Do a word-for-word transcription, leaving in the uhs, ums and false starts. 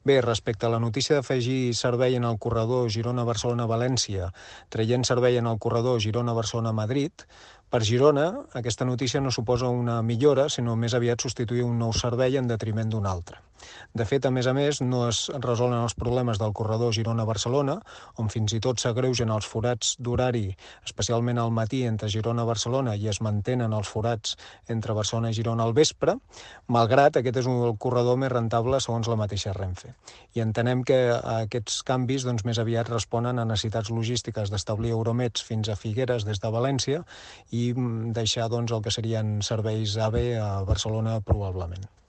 Bé, respecte a la notícia d'afegir servei en el corredor Girona-Barcelona-València, traient servei en el corredor Girona-Barcelona-Madrid, per Girona aquesta notícia no suposa una millora, sinó més aviat substituir un nou servei en detriment d'un altre. De fet, a més a més, no es resolen els problemes del corredor Girona-Barcelona, on fins i tot s'agreugen els forats d'horari, especialment al matí entre Girona-Barcelona, i es mantenen els forats entre Barcelona i Girona al vespre, malgrat aquest és un corredor més rentable segons la mateixa Renfe. I entenem que aquests canvis doncs, més aviat responen a necessitats logístiques d'establir Euromeds fins a Figueres des de València i deixar doncs, el que serien serveis A V E a Barcelona probablement.